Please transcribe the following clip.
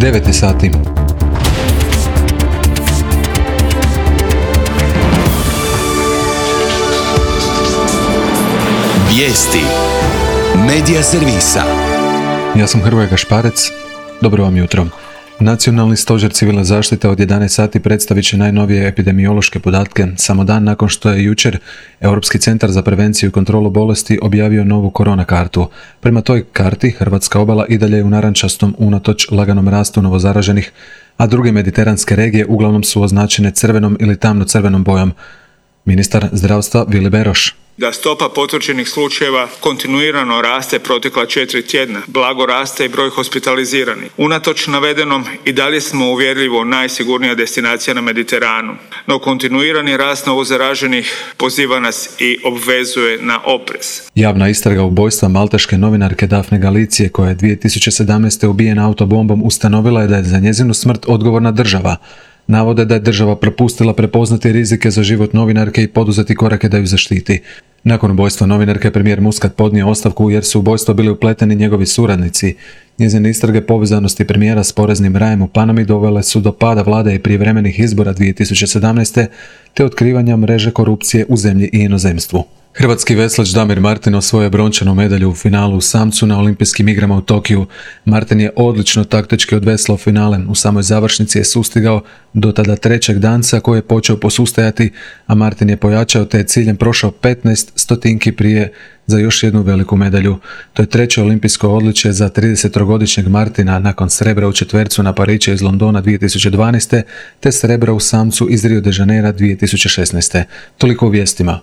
9 sati. Vijesti Medija servisa. Ja sam Hrvoje Gašparec. Dobro vam jutro. Nacionalni stožer civilne zaštite od 11 sati predstavit će najnovije epidemiološke podatke, samo dan nakon što je jučer Europski centar za prevenciju i kontrolu bolesti objavio novu korona kartu. Prema toj karti hrvatska obala i dalje je u narančastom unatoč laganom rastu novozaraženih, a druge mediteranske regije uglavnom su označene crvenom ili tamno crvenom bojom. Ministar zdravstva Vili Beroš. Da stopa potvrđenih slučajeva kontinuirano raste protekla 4 tjedna, blago raste i broj hospitaliziranih. Unatoč navedenom i dalje smo uvjerljivo najsigurnija destinacija na Mediteranu, no kontinuirani rast novozaraženih poziva nas i obvezuje na oprez. Javna istraga ubojstva malteške novinarke Dafne Galicije, koja je 2017. ubijena autobombom, ustanovila je da je za njezinu smrt odgovorna država. Navode da je država propustila prepoznati rizike za život novinarke i poduzeti korake da ju zaštiti. Nakon ubojstva novinarke premijer Muscat podnio ostavku jer su u ubojstvo bili upleteni njegovi suradnici. Njezine istrage povezanosti premijera s poreznim rajem u Panami dovele su do pada vlade i prijevremenih izbora 2017. te otkrivanja mreže korupcije u zemlji i inozemstvu. Hrvatski veslač Damir Martin osvojio je brončanu medalju u finalu u samcu na olimpijskim igrama u Tokiju. Martin je odlično taktički odveslao finale. U samoj završnici je sustigao do tada trećeg danca koji je počeo posustajati, a Martin je pojačao te je ciljem prošao 15 stotinki prije za još jednu veliku medalju. To je treće olimpijsko odličje za 33-godišnjeg Martina nakon srebra u četvercu na Pariću iz Londona 2012. te srebra u samcu iz Rio de Janeira 2016. Toliko u vijestima.